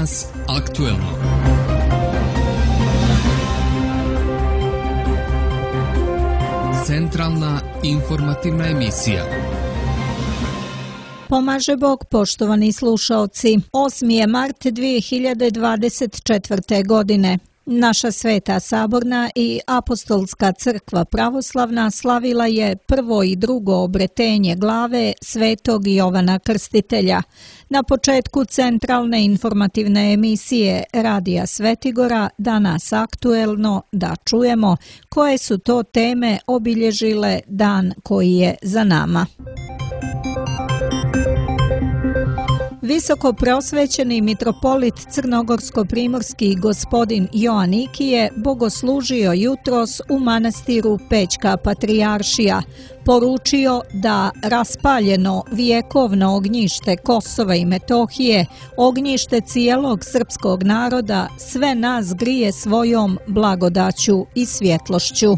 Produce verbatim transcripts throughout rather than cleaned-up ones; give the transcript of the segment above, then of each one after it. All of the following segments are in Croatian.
Danas aktuelno. Centralna informativna emisija. Pomaže Bog, poštovani slušaoci. osmi je mart dvije hiljade dvadeset četvrte. godine. Naša Sveta Saborna i Apostolska crkva pravoslavna slavila je prvo i drugo obretenje glave Svetog Jovana Krstitelja. Na početku centralne informativne emisije Radija Svetigora Danas aktuelno da čujemo koje su to teme obilježile dan koji je za nama. Visoko preosvećeni mitropolit crnogorsko-primorski gospodin Joanikije bogoslužio jutros u manastiru Pećka Patrijaršija, poručio da raspaljeno vjekovno ognjište Kosova i Metohije, ognjište cijelog srpskog naroda, sve nas grije svojom blagodaću i svjetlošću.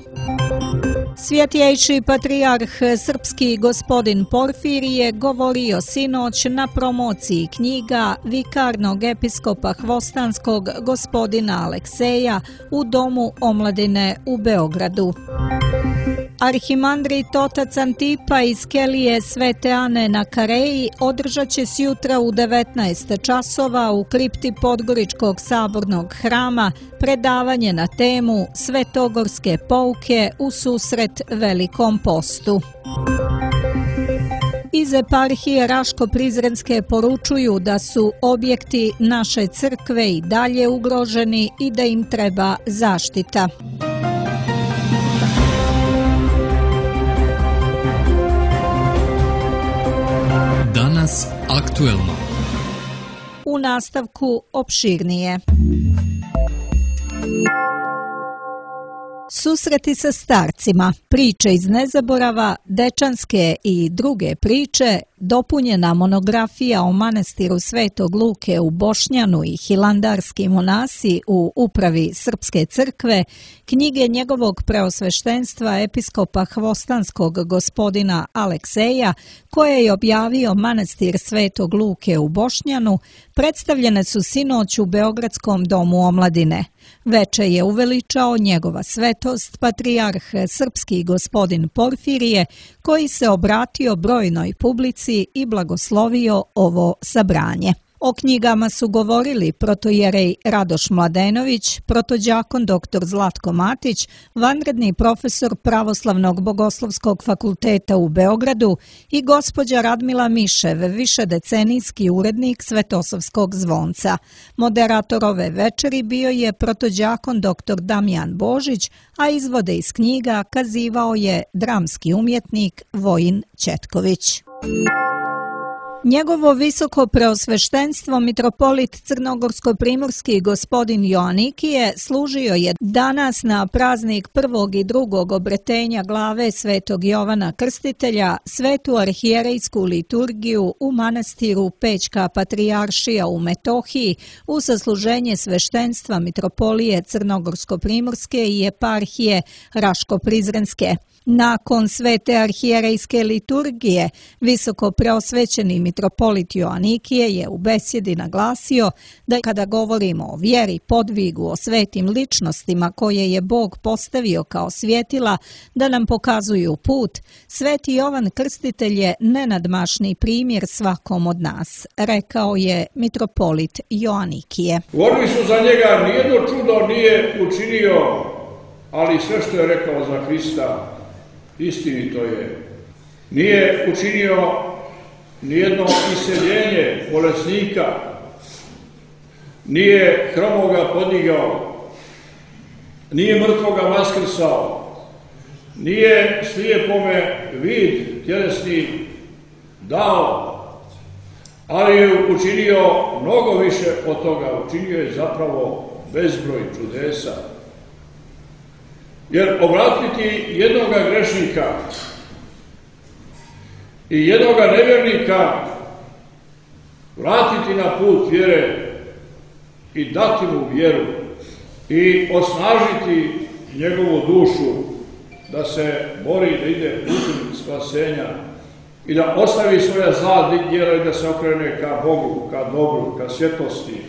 Svjetjejši patrijarh srpski gospodin Porfirije govorio sinoć na promociji knjiga vikarnog episkopa hvostanskog gospodina Alekseja u Domu omladine u Beogradu. Arhimandrit otac Antipa iz Kelije Svete Ane na Kareji održat će sjutra u devetnaest časova u kripti Podgoričkog sabornog hrama predavanje na temu Svetogorske pouke u susret Velikom postu. Iz eparhije Raško-Prizrenske poručuju da su objekti naše crkve i dalje ugroženi i da im treba zaštita. Danas aktuelno. U nastavku opširnije. Susreti sa starcima, priče iz nezaborava, dečanske i druge priče, dopunjena monografija o manastiru Svetog Luke u Bošnjanu i hilandarski monasi u upravi Srpske crkve, knjige njegovog preosveštenstva episkopa hvostanskog gospodina Alekseja, koje je objavio manastir Svetog Luke u Bošnjanu, predstavljene su sinoć u Beogradskom domu omladine. Veče je uveličao njegova svetost, patrijarh srpski gospodin Porfirije, koji se obratio brojnoj publici i blagoslovio ovo sabranje. O knjigama su govorili protojerej Radoš Mladenović, protođakon doktor Zlatko Matić, vanredni profesor Pravoslavnog bogoslovskog fakulteta u Beogradu i gospođa Radmila Mišev, višedecenijski urednik Svetosavskog zvonca. Moderator ove večeri bio je protođakon doktor Damjan Božić, a izvode iz knjiga kazivao je dramski umjetnik Vojin Ćetković. Njegovo visoko preosveštenstvo mitropolit crnogorsko-primorski gospodin Joanikije služio je danas na praznik prvog i drugog obretenja glave Svetog Jovana Krstitelja svetu arhijerejsku liturgiju u manastiru Pećka Patrijaršija u Metohiji u sasluženje sveštenstva mitropolije crnogorsko-primorske i eparhije Raško-Prizrenske. Nakon svete arhijerejske liturgije, visoko preosvećeni mitropolit Joanikije je u besjedi naglasio da kada govorimo o vjeri, podvigu, o svetim ličnostima koje je Bog postavio kao svjetila da nam pokazuju put, Sveti Jovan Krstitelj je nenadmašni primjer svakom od nas, rekao je mitropolit Joanikije. Govorili su za njega, nijedno čudo nije učinio, ali sve što je rekao za Hrista istinito je. Nije učinio nijedno iseljenje bolesnika, nije hromoga podigao, nije mrtvoga vaskrsao, nije slijepome vid tjelesni dao, ali je učinio mnogo više od toga. Učinio je zapravo bezbroj čudesa. Jer obratiti jednoga grešnika i jednoga nevjernika, vratiti na put vjere i dati mu vjeru i osnažiti njegovu dušu da se bori, da ide putem spasenja i da ostavi svoja zla djela i da se okrene ka Bogu, ka dobru, ka svjetlosti,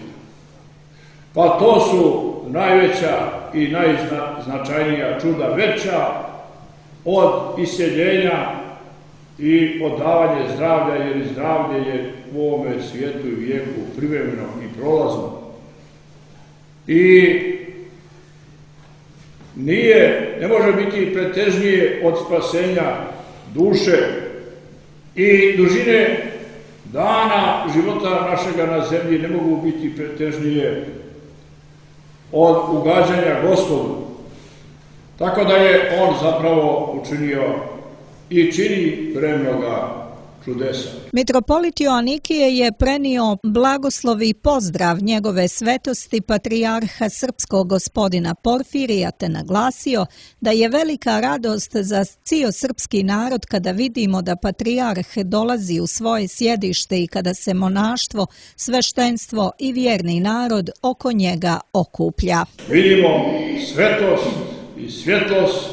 Pa to su najveća i najznačajnija čuda, veća od isjeljenja i od davanja zdravlja, jer zdravlje je u ovome svijetu i vijeku privremeno i prolazno. I nije, ne može biti pretežnije od spasenja duše i dužine dana života našega na zemlji ne mogu biti pretežnije od ugađanja Gospodu. Tako da je on zapravo učinio i čini premnoga čudesa. Mitropolit Joanikije je prenio blagoslov i pozdrav njegove svetosti patrijarha srpskog gospodina Porfirija te naglasio da je velika radost za cijel srpski narod kada vidimo da patrijarh dolazi u svoje sjedište i kada se monaštvo, sveštenstvo i vjerni narod oko njega okuplja. Vidimo svetost i svjetlost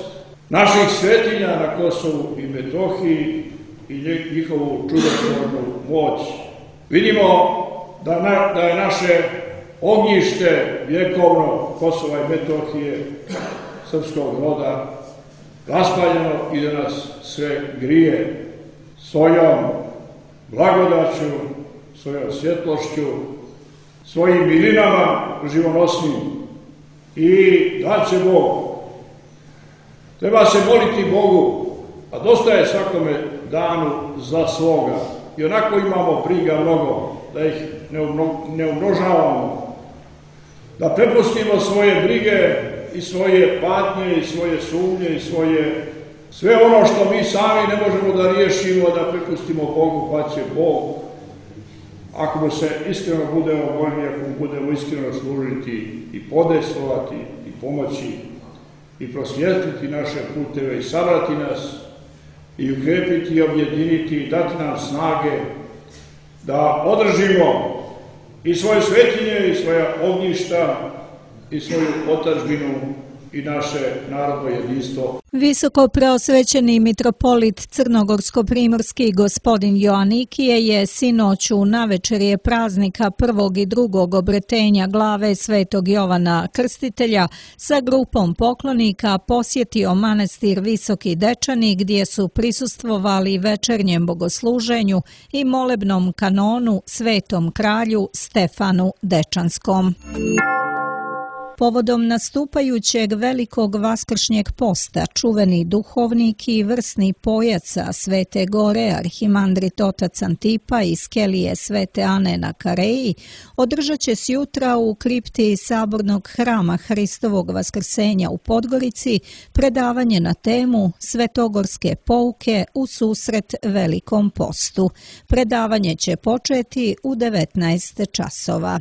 naših svetinja na Kosovu i Metohiji i njihovu čudotvornu moć. Vidimo da, na, da je naše ognjište vjekovno Kosova i Metohije, srpskog roda, raspaljeno i da nas sve grije svojom blagodaću, svojom svjetlošću, svojim milinama živonosnim. I da će Bog. Treba se moliti Bogu, a dosta je svakome danu za svoga. I onako imamo briga mnogo, da ih ne umnožavamo, da prepustimo svoje brige i svoje patnje i svoje sumnje i svoje sve ono što mi sami ne možemo da riješimo, da prepustimo Bogu, pa će Bog, ako mu se iskreno budemo voljni, ako mu budemo iskreno služiti i podestovati i pomoći i prosvjetliti naše puteve i sabrati nas i ukrepiti i objediniti i dati nam snage da održimo i svoje svetinje i svoja ognjišta i svoju otadžbinu i naše narodno jedinstvo. Visoko preosvećeni mitropolit crnogorsko-primorski gospodin Joanikije je sinoć u navečerje praznika prvog i drugog obretenja glave svetog Jovana Krstitelja sa grupom poklonika posjetio manastir Visoki Dečani gdje su prisustvovali večernjem bogosluženju i molebnom kanonu svetom kralju Stefanu Dečanskom. Povodom nastupajućeg velikog vaskršnjeg posta, čuveni duhovnik i vrsni pojaca Svete Gore, arhimandrit otac Antipa iz kelije Svete Ane na Kareji, održat će sjutra u kripti Sabornog hrama Hristovog vaskrsenja u Podgorici predavanje na temu Svetogorske pouke u susret Velikom postu. Predavanje će početi u devetnaest časova.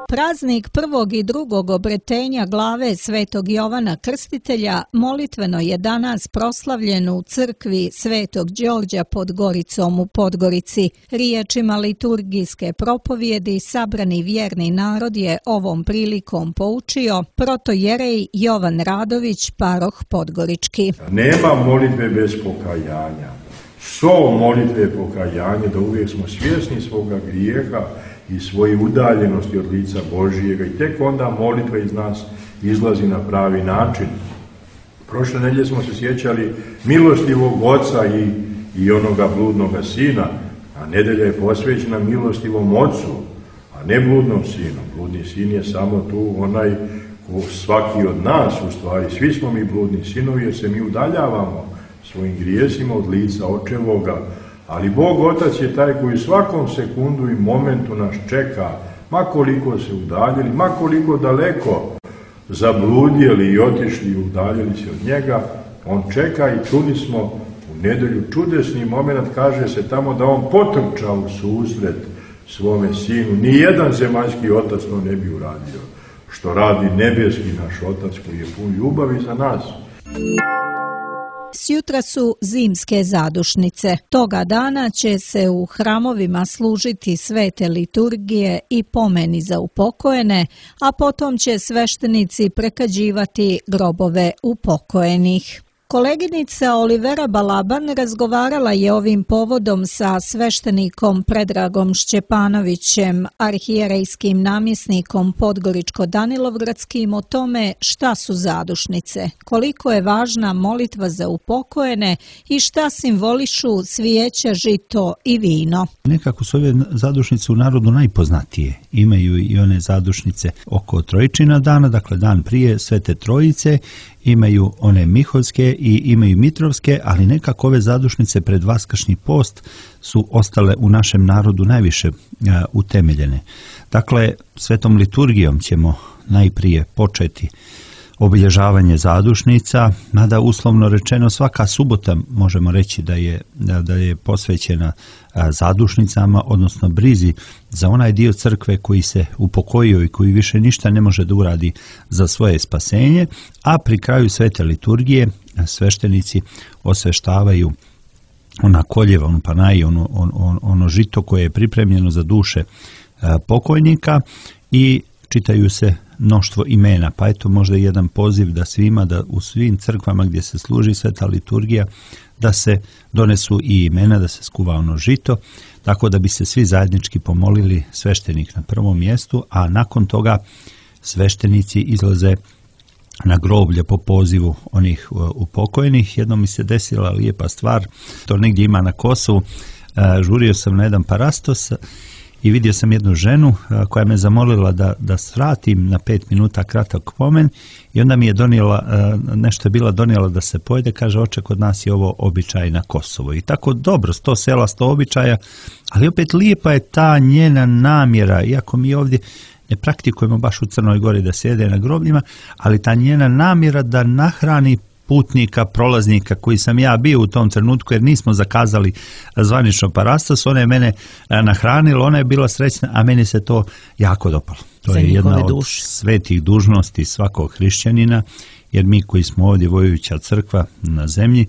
Praznik prvog i drugog obretenja glave svetog Jovana Krstitelja molitveno je danas proslavljen u crkvi Svetog Đorđa pod Goricom u Podgorici. Riječima liturgijske propovjedi sabrani vjerni narod je ovom prilikom poučio protojerej Jovan Radović, paroh Podgorički. Nema molitve bez pokajanja. So molitve pokajanje, da uvijek smo svjesni svoga grijeha i svoje udaljenosti od lica Božijega i tek onda molitva iz nas izlazi na pravi način. Prošle nedjelje smo se sjećali milostivog oca i, i onoga bludnoga sina, a nedelja je posvećena milostivom ocu, a ne bludnom sinu. Bludni sin je samo tu onaj ko svaki od nas, u stvari svi smo mi bludni sinovi jer se mi udaljavamo svojim grijesima od lica očevoga, ali Bog Otac je taj koji svakom sekundu i momentu nas čeka, ma koliko se udaljili, ma koliko daleko zabludjeli i otišli i udaljili se od njega, on čeka i čuli smo u nedelju čudesni moment, kaže se tamo da on potrča u susret svome sinu. Nijedan zemaljski otac to ne bi uradio, što radi nebeski naš otac koji je pun ljubavi za nas. Sjutra su zimske zadušnice. Toga dana će se u hramovima služiti svete liturgije i pomeni za upokojene, a potom će sveštenici prekađivati grobove upokojenih. Koleginica Olivera Balaban razgovarala je ovim povodom sa sveštenikom Predragom Šćepanovićem, arhijerejskim namjesnikom Podgoričko-Danilovgradskim, o tome šta su zadušnice, koliko je važna molitva za upokojene i šta simbolišu cvijeća, žito i vino. Nekako su ove zadušnice u narodu najpoznatije. Imaju i one zadušnice oko Trojičina dana, dakle dan prije Svete Trojice, imaju one Miholjske i imaju Mitrovske, ali nekako ove zadušnice pred Vaskršnji post su ostale u našem narodu najviše a, utemeljene. Dakle, svetom liturgijom ćemo najprije početi obilježavanje zadušnica, mada uslovno rečeno svaka subota možemo reći da je, da, da je posvećena a, zadušnicama, odnosno brizi za onaj dio crkve koji se upokojio i koji više ništa ne može da uradi za svoje spasenje, a pri kraju svete liturgije sveštenici osveštavaju ona koljeva, onu panaj, ono, ono, ono žito koje je pripremljeno za duše a, pokojnika i čitaju se mnoštvo imena, pa eto možda jedan poziv da svima, da u svim crkvama gdje se služi sveta liturgija, da se donesu i imena, da se skuva ono žito, tako da bi se svi zajednički pomolili, sveštenik na prvom mjestu, a nakon toga sveštenici izlaze na groblje po pozivu onih upokojnih. Jednom mi se desila lijepa stvar, to negdje ima na Kosovu, žurio sam na jedan parastos i vidio sam jednu ženu koja me zamolila da, da svratim na pet minuta kratak pomen i onda mi je donijela, nešto je bila donijela da se pojede, kaže oče, kod nas je ovo običaj na Kosovu. I tako dobro, sto sela, sto običaja, ali opet lijepa je ta njena namjera, iako mi ovdje ne praktikujemo baš u Crnoj Gori da sjede na grobljima, ali ta njena namjera da nahrani putnika, prolaznika koji sam ja bio u tom trenutku, jer nismo zakazali zvanično parastos, ona je mene nahranila, ona je bila srećna, a meni se to jako dopalo. To je jedna od duši. Svetih dužnosti svakog hrišćanina, jer mi koji smo ovdje vojuća crkva na zemlji,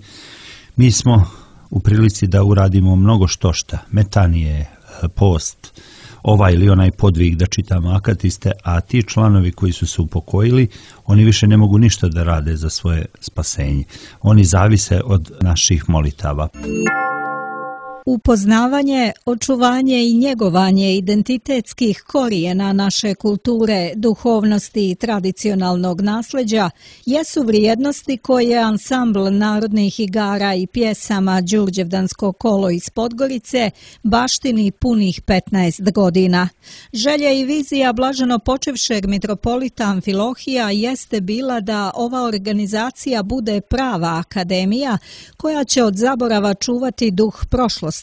mi smo u prilici da uradimo mnogo štošta, metanije, post, ovaj ili onaj podvig da čitamo akatiste, a ti članovi koji su se upokojili, oni više ne mogu ništa da rade za svoje spasenje. Oni zavise od naših molitava. Upoznavanje, očuvanje i njegovanje identitetskih korijena naše kulture, duhovnosti i tradicionalnog nasljeđa jesu vrijednosti koje ansambl narodnih igara i pjesama Đurđevdansko kolo iz Podgorice baštini punih petnaest godina. Želja i vizija blaženo počevšeg mitropolita Amfilohija jeste bila da ova organizacija bude prava akademija koja će od zaborava čuvati duh prošlosti,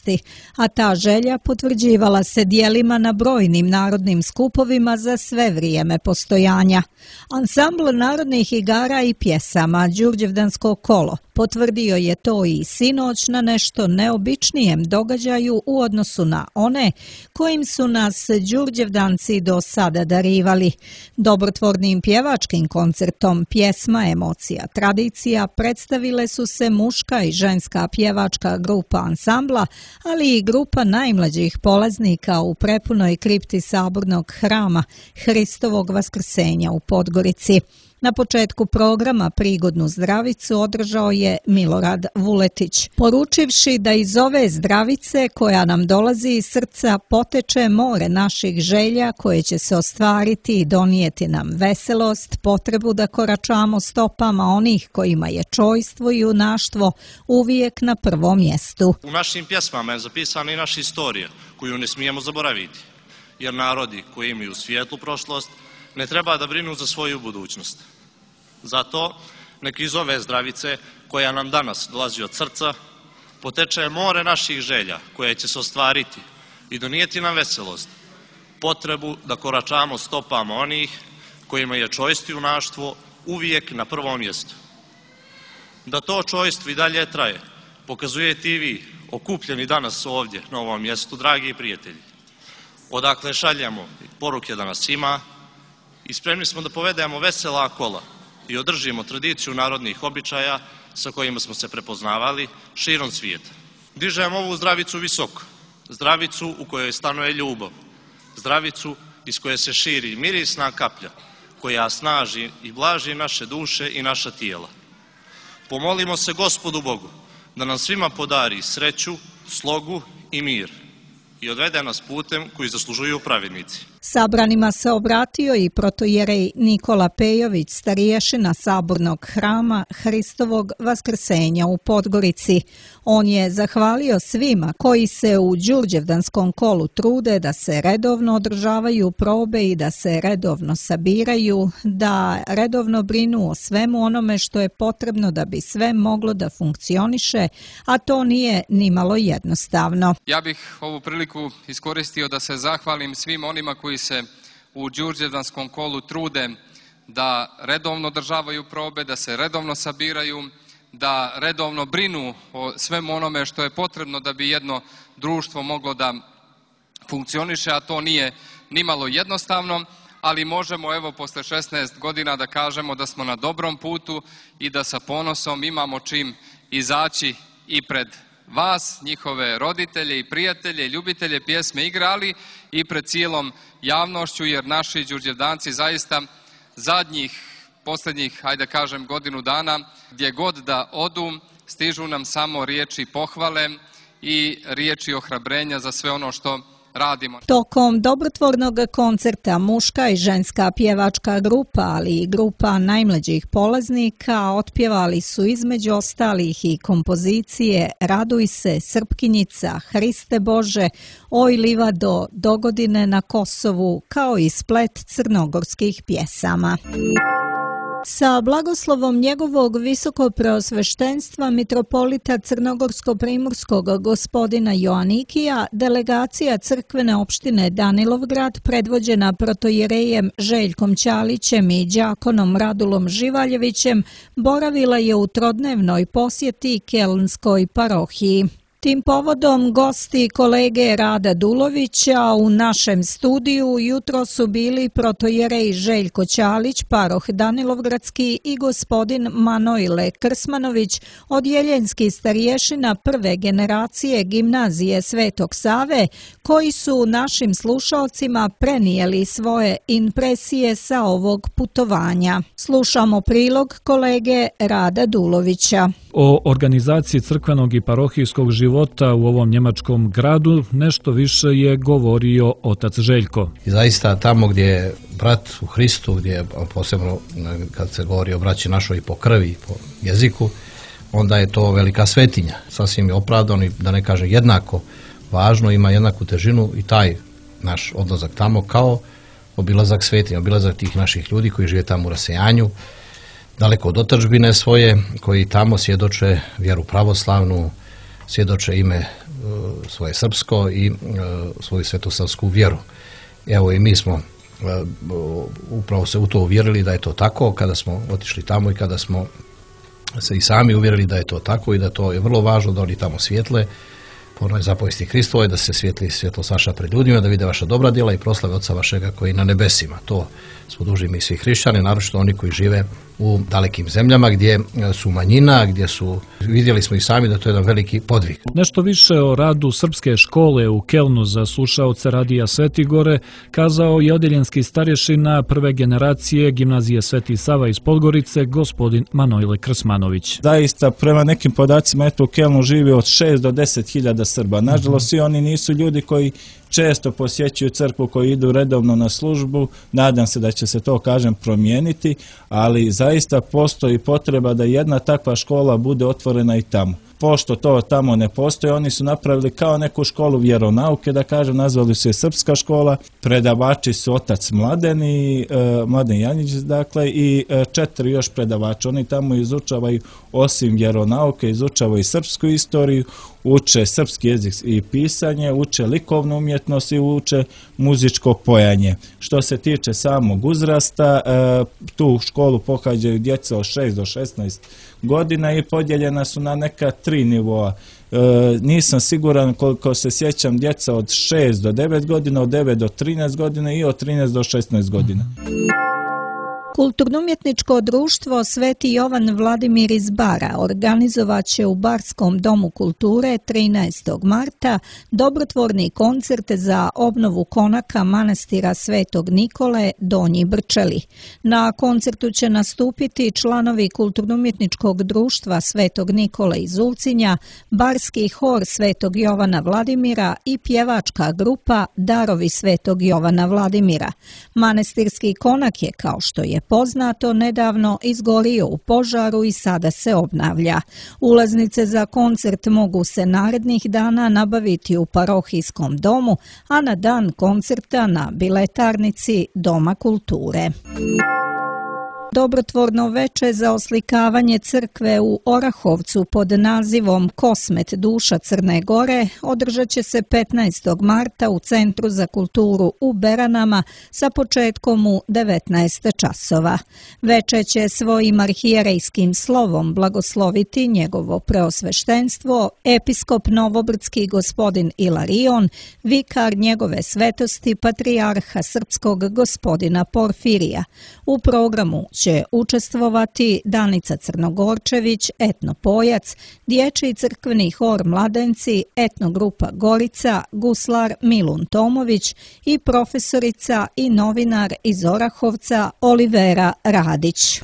a ta želja potvrđivala se djelima na brojnim narodnim skupovima za sve vrijeme postojanja. Ansambl narodnih igara i pjesama Đurđevdansko kolo potvrdio je to i sinoć na nešto neobičnijem događaju u odnosu na one kojim su nas Đurđevdanci do sada darivali. Dobrotvornim pjevačkim koncertom Pjesma, emocija, tradicija predstavile su se muška i ženska pjevačka grupa ansambla, ali i grupa najmlađih polaznika u prepunoj kripti sabornog hrama Hristovog vaskrsenja u Podgorici. Na početku programa prigodnu zdravicu održao je Milorad Vuletić, poručivši da iz ove zdravice koja nam dolazi iz srca poteče more naših želja koje će se ostvariti i donijeti nam veselost, potrebu da koračamo stopama onih kojima je čojstvo i junaštvo uvijek na prvom mjestu. U našim pjesmama je zapisana i naša istorija koju ne smijemo zaboraviti, jer narodi koji imaju svijetlu prošlost ne treba da brinu za svoju budućnost. Zato neki iz ove zdravice koja nam danas dolazi od srca poteče more naših želja koje će se ostvariti i donijeti nam veselost, potrebu da koračamo stopama onih kojima je čojstvo i junaštvo uvijek na prvom mjestu. Da to čojstvo i dalje traje pokazujete i vi, okupljeni danas ovdje na ovom mjestu, dragi prijatelji. Odakle šaljemo poruke da nas ima i spremni smo da povedemo vesela kola i održimo tradiciju narodnih običaja sa kojima smo se prepoznavali širom svijeta. Dižemo ovu zdravicu visoko, zdravicu u kojoj stanuje ljubav, zdravicu iz koje se širi mirisna kaplja koja snaži i blaži naše duše i naša tijela. Pomolimo se Gospodu Bogu da nam svima podari sreću, slogu i mir i odvede nas putem koji zaslužuju pravednici. Sabranima se obratio i protojerej Nikola Pejović, starješina Sabornog hrama Hristovog vaskrsenja u Podgorici. On je zahvalio svima koji se u Đurđevdanskom kolu trude da se redovno održavaju probe i da se redovno sabiraju, da redovno brinu o svemu onome što je potrebno da bi sve moglo da funkcioniše, a to nije nimalo jednostavno. Ja bih ovu priliku iskoristio da se zahvalim svim onima koji se u Đurđevdanskom kolu trude da redovno održavaju probe, da se redovno sabiraju, da redovno brinu o svemu onome što je potrebno da bi jedno društvo moglo da funkcioniše, a to nije nimalo jednostavno, ali možemo evo posle šesnaest godina da kažemo da smo na dobrom putu i da sa ponosom imamo čim izaći i pred vas, njihove roditelje i prijatelje, ljubitelje pjesme igre, ali i pred cijelom javnošću, jer naši Đurđevdanci zaista zadnjih, posljednjih, hajde kažem, godinu dana, gdje god da odu, stižu nam samo riječi pohvale i riječi ohrabrenja za sve ono što radimo. Tokom dobrotvornog koncerta muška i ženska pjevačka grupa, ali i grupa najmlađih polaznika otpjevali su između ostalih i kompozicije Raduj se, Srpkinjica, Hriste Bože, Oj livado, Dogodine na Kosovu, kao i splet crnogorskih pjesama. Sa blagoslovom njegovog visokopreosveštenstva mitropolita Crnogorsko-primorskog gospodina Joanikija, delegacija crkvene opštine Danilovgrad, predvođena protojerejem Željkom Ćalićem i đakonom Radulom Živaljevićem, boravila je u trodnevnoj posjeti Kelnskoj parohiji. Tim povodom gosti kolege Rada Dulovića u našem studiju jutro su bili protojerej Željko Ćalić, paroh Danilovgradski, i gospodin Manojle Krsmanović, odjeljenski starješina prve generacije gimnazije Svetog Save, koji su našim slušalcima prenijeli svoje impresije sa ovog putovanja. Slušamo prilog kolege Rada Dulovića. O organizaciji crkvenog i parohijskog života u ovom njemačkom gradu nešto više je govorio otac Željko. I zaista tamo gdje je brat u Hristu, gdje je posebno kad se govori o braći našoj po krvi i po jeziku, onda je to velika svetinja. Sasvim je opravdano i da ne kaže jednako važno, ima jednaku težinu i taj naš odlazak tamo kao obilazak svetinja, obilazak tih naših ljudi koji žive tamo u rasejanju, daleko od otadžbine svoje, koji tamo svjedoče vjeru pravoslavnu, svjedoče ime e, svoje srpsko i e, svoju svetosavsku vjeru. Evo i mi smo e, upravo se u to uvjerili da je to tako kada smo otišli tamo i kada smo se i sami uvjerili da je to tako i da to je vrlo važno da oni tamo svijetle po onoj zapovesti Hristovoj, da se svijetli svjetlost vaša pred ljudima, da vide vaša dobra djela i proslave Otca vašega koji je na nebesima. To smo dužni mi svi hrišćani, naročito oni koji žive u dalekim zemljama gdje su manjina, gdje su, vidjeli smo i sami da to je jedan veliki podvig. Nešto više o radu srpske škole u Kelnu za slušaoce Radija Svetigore kazao je odjeljenski starješina prve generacije gimnazije Sveti Sava iz Podgorice, gospodin Manojle Krsmanović. Zaista, prema nekim podacima, eto u Kelnu živi od šest do deset hiljada Srba. Nažalost, svi oni nisu ljudi koji često posjećuju crkvu, koji idu redovno na službu. Nadam se da će se to, kažem, promijeniti, ali zaista postoji potreba da jedna takva škola bude otvorena i tamo. Pošto to tamo ne postoji, oni su napravili kao neku školu vjeronauke, da kažem, nazvali su je Srpska škola, predavači su otac Mladen i e, Mladen Janjić, dakle, i e, četiri još predavača. Oni tamo izučavaju, osim vjeronauke, izučavaju i srpsku istoriju, uče srpski jezik i pisanje, uče likovnu umjetnost i uče muzičko pojanje. Što se tiče samog uzrasta, e, tu školu pohađaju djeca od šest do šesnaest godina i podijeljena su na neka tri nivoa. E, nisam siguran koliko se sjećam, djeca od šest do devet godina, od devet do trinaest godina i od trinaest do šesnaest godina. Kulturno-umjetničko društvo Sveti Jovan Vladimir iz Bara organizovat će u Barskom domu kulture trinaestog marta dobrotvorni koncert za obnovu konaka manastira Svetog Nikole Donji Brčeli. Na koncertu će nastupiti članovi Kulturno-umjetničkog društva Svetog Nikole iz Ulcinja, Barski hor Svetog Jovana Vladimira i pjevačka grupa Darovi Svetog Jovana Vladimira. Manastirski konak je, kao što je poznato, nedavno izgorio u požaru i sada se obnavlja. Ulaznice za koncert mogu se narednih dana nabaviti u parohijskom domu, a na dan koncerta na biletarnici Doma kulture. Dobrotvorno veče za oslikavanje crkve u Orahovcu pod nazivom Kosmet duša Crne Gore održat će se petnaestog marta u Centru za kulturu u Beranama sa početkom u devetnaest časova. Veče će svojim arhijerejskim slovom blagosloviti njegovo preosveštenstvo, episkop Novobrdski gospodin Ilarion, vikar njegove svetosti patrijarha srpskog gospodina Porfirija. U programu će učestvovati Danica Crnogorčević, etnopojac, dječji crkveni hor Mladenci, etnogrupa Gorica, guslar Milun Tomović i profesorica i novinar iz Orahovca Olivera Radić.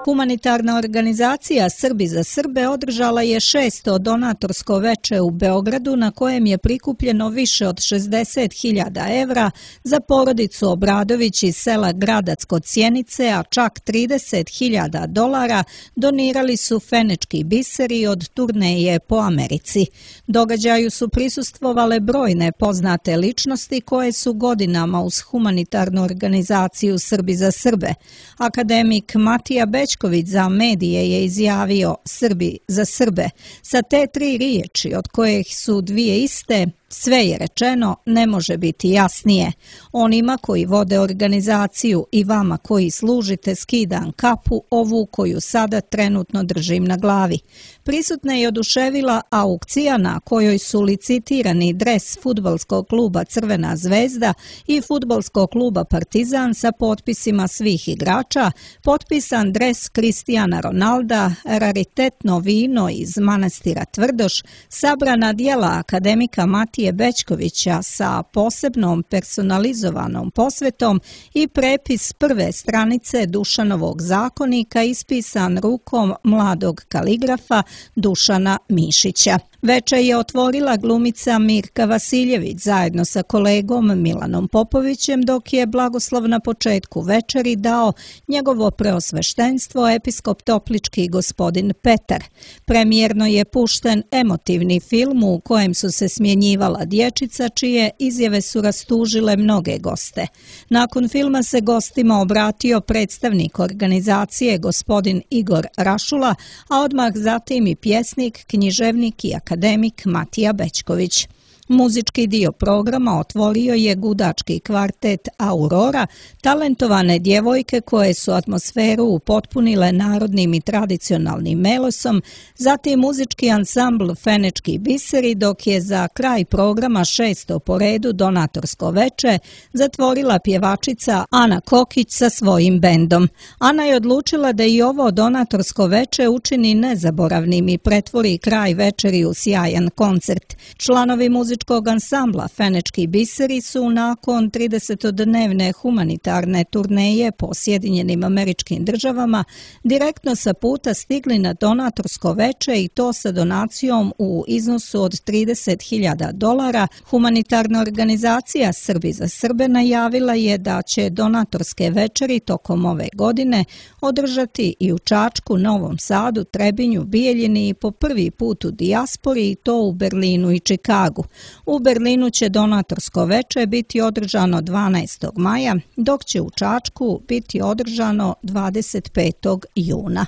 Humanitarna organizacija Srbi za Srbe održala je šesto donatorsko veče u Beogradu na kojem je prikupljeno više od šezdeset hiljada evra za porodicu Obradović iz sela Gradac kod Sjenice, a čak trideset hiljada dolara donirali su fenečki biseri od turneje po Americi. Događaju su prisustvovale brojne poznate ličnosti koje su godinama uz humanitarnu organizaciju Srbi za Srbe. Akademik Matija Bećković za medije je izjavio Srbi za Srbe. Sa te tri riječi, od kojih su dvije iste, sve je rečeno, ne može biti jasnije. Onima koji vode organizaciju i vama koji služite skidam kapu, ovu koju sada trenutno držim na glavi. Prisutna je oduševila aukcija na kojoj su licitirani dres fudbalskog kluba Crvena zvezda i fudbalskog kluba Partizan sa potpisima svih igrača, potpisan dres Kristijana Ronalda, raritetno vino iz manastira Tvrdoš, sabrana djela akademika Matije Bećkovića sa posebnom personalizovanom posvetom i prepis prve stranice Dušanovog zakonika ispisan rukom mladog kaligrafa Dušana Mišića. Veče je otvorila glumica Mirka Vasiljević zajedno sa kolegom Milanom Popovićem, dok je blagoslov na početku večeri dao njegovo preosveštenstvo episkop Toplički gospodin Petar. Premijerno je pušten emotivni film u kojem su se smjenjivala dječica, čije izjave su rastužile mnoge goste. Nakon filma se gostima obratio predstavnik organizacije gospodin Igor Rašula, a odmah zatim i pjesnik, književnik i akademik Matija Bećković. Muzički dio programa otvorio je gudački kvartet Aurora, talentovane djevojke koje su atmosferu upotpunile narodnim i tradicionalnim melosom, zatim muzički ansambl Fenečki biseri, dok je za kraj programa šesto po redu donatorsko veče zatvorila pjevačica Ana Kokić sa svojim bendom. Ana je odlučila da i ovo donatorsko veče učini nezaboravnim i pretvori kraj večeri u sjajan koncert. Članovi muzičkog ansambla Fenečki biseri su nakon tridesetodnevne humanitarne turneje po Sjedinjenim Američkim Državama direktno sa puta stigli na donatorsko veče i to sa donacijom u iznosu od trideset hiljada dolara. Humanitarna organizacija Srbi za Srbe najavila je da će donatorske večeri tokom ove godine održati i u Čačku, Novom Sadu, Trebinju, Bijeljini i po prvi put u dijaspori i to u Berlinu i Čikagu. U Berlinu će donatorsko veče biti održano dvanaestog maja, dok će u Čačku biti održano dvadeset petog juna.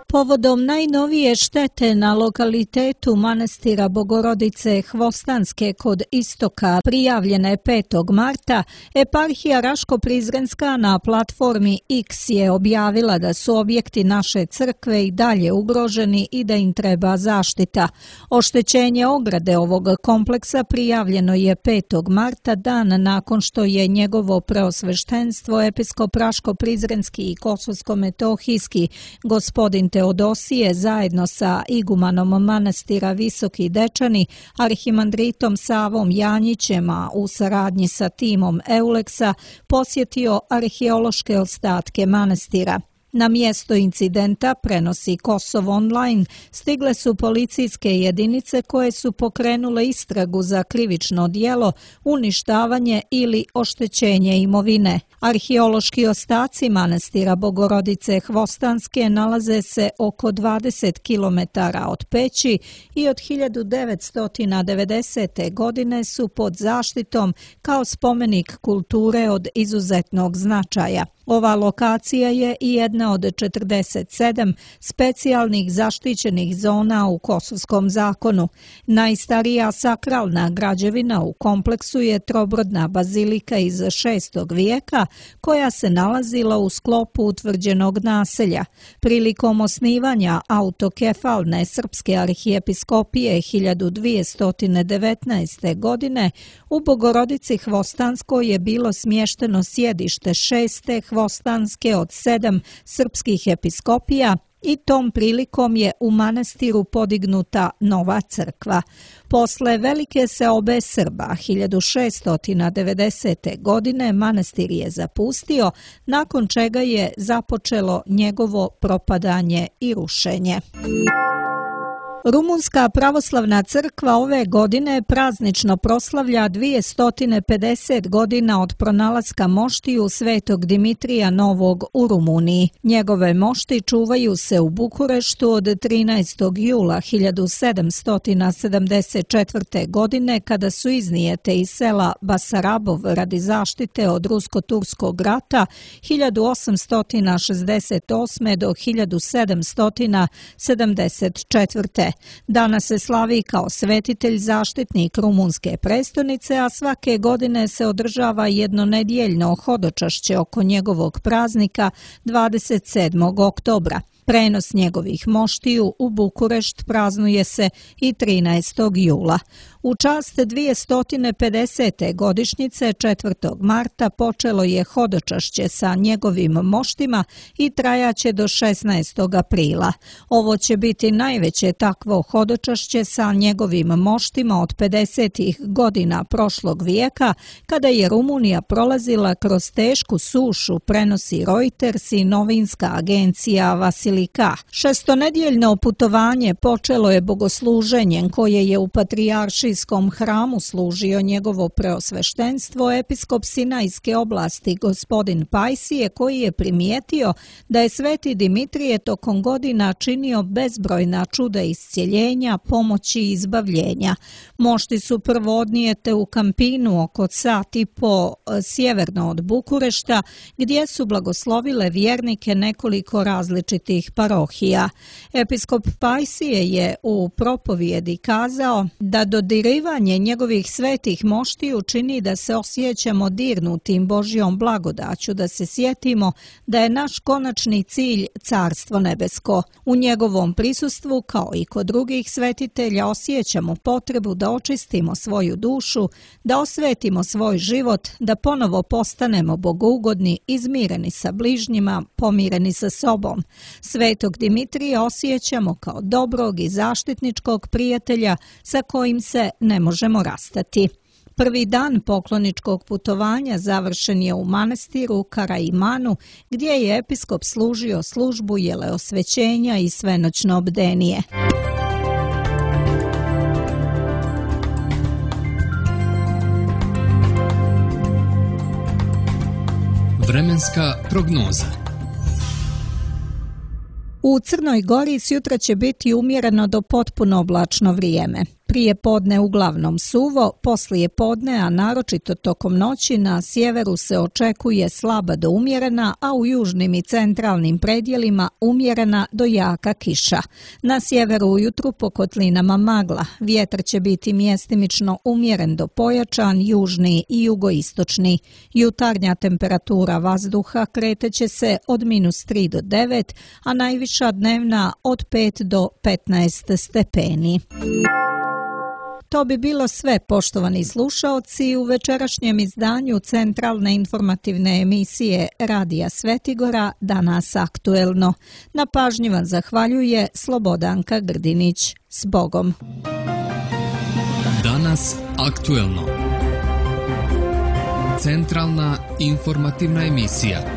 Povodom najnovije štete na lokalitetu manastira Bogorodice Hvostanske kod Istoka prijavljene petog marta, eparhija Raško-Prizrenska na platformi X je objavila da su objekti naše crkve i dalje ugroženi i da im treba zaštita. Oštećenje ograde ovog kompleksa prijavljeno je petog marta, dan nakon što je njegovo preosveštenstvo episkop Raško-Prizrenski i Kosovsko-metohijski gospodin Teodosije zajedno sa igumanom manastira Visoki Dečani, arhimandritom Savom Janjićem, a u saradnji sa timom Euleksa posjetio arheološke ostatke manastira. Na mjesto incidenta, prenosi Kosovo online, stigle su policijske jedinice koje su pokrenule istragu za krivično djelo, uništavanje ili oštećenje imovine. Arheološki ostaci manastira Bogorodice Hvostanske nalaze se oko dvadeset kilometara od Peći i od hiljadu devetsto devedesete. godine su pod zaštitom kao spomenik kulture od izuzetnog značaja. Ova lokacija je i jedna od četrdeset sedam specijalnih zaštićenih zona u Kosovskom zakonu. Najstarija sakralna građevina u kompleksu je trobrodna bazilika iz šestog vijeka koja se nalazila u sklopu utvrđenog naselja. Prilikom osnivanja autokefalne srpske arhijepiskopije hiljadu dvjesto devetnaeste. godine u Bogorodici Hvostanskoj je bilo smješteno sjedište šeste Hvostanske od sedam srpskih episkopija i tom prilikom je u manastiru podignuta nova crkva. Posle velike seobe Srba hiljadu šeststo devedesete. godine manastir je zapustio, nakon čega je započelo njegovo propadanje i rušenje. Rumunska pravoslavna crkva ove godine praznično proslavlja dvjesto pedeset godina od pronalaska moštiju svetog Dimitrija Novog u Rumuniji. Njegove mošti čuvaju se u Bukureštu od trinaestog jula hiljadu sedamsto sedamdeset četvrte. godine kada su iznijete iz sela Basarabov radi zaštite od rusko-turskog rata hiljadu osamsto šezdeset osme. do hiljadu sedamsto sedamdeset četvrte. Danas se slavi kao svetitelj zaštitnik rumunske prestonice, a svake godine se održava jednonedjeljno hodočašće oko njegovog praznika dvadeset sedmog oktobra. Prenos njegovih moštiju u Bukurešt praznuje se i trinaestog jula. U čast dvjesto pedesete. godišnjice četvrtog marta počelo je hodočašće sa njegovim moštima i trajaće do šesnaestog aprila. Ovo će biti najveće takvo hodočašće sa njegovim moštima od pedesetih godina prošlog vijeka, kada je Rumunija prolazila kroz tešku sušu, prenosi Reuters i novinska agencija Vasilika. Šestonedjeljno putovanje počelo je bogosluženjem koje je u patrijaršijskom hramu služio njegovo preosveštenstvo episkop Sinajske oblasti gospodin Pajsije, koji je primijetio da je sveti Dimitrije tokom godina činio bezbrojna čuda iscjeljenja, pomoći i izbavljenja. Mošti su prvo odnijete u Kampinu oko sat i po sjeverno od Bukurešta, gdje su blagoslovile vjernike nekoliko različitih parohija. Episkop Pajsije je u propovjedi kazao da dodirivanje njegovih svetih moštiju čini da se osjećamo dirnutim Božjom blagodaću, da se sjetimo da je naš konačni cilj Carstvo nebesko. U njegovom prisustvu, kao i kod drugih svetitelja, osjećamo potrebu da očistimo svoju dušu, da osvetimo svoj život, da ponovo postanemo bogougodni, izmireni sa bližnjima, pomireni sa sobom. Svetog Dimitrija osjećamo kao dobrog i zaštitničkog prijatelja sa kojim se ne možemo rastati. Prvi dan pokloničkog putovanja završen je u manastiru Karaimanu, gdje je episkop služio službu jeleosvećenja i svenoćno bdenije. Vremenska prognoza. U Crnoj Gori sjutra će biti umjereno do potpuno oblačno vrijeme. Prije podne uglavnom suvo, poslije podne, a naročito tokom noći na sjeveru se očekuje slaba do umjerena, a u južnim i centralnim predjelima umjerena do jaka kiša. Na sjeveru ujutru po kotlinama magla, vjetar će biti mjestimično umjeren do pojačan, južni i jugoistočni. Jutarnja temperatura vazduha kreteće se od minus tri do devet, a najviša dnevna od pet do petnaest stepeni. To bi bilo sve, poštovani slušaoci, u večerašnjem izdanju centralne informativne emisije Radija Svetigora Danas aktuelno. Na pažnji vam zahvaljuje Slobodanka Grdinić. S Bogom! Danas aktuelno. Centralna informativna emisija.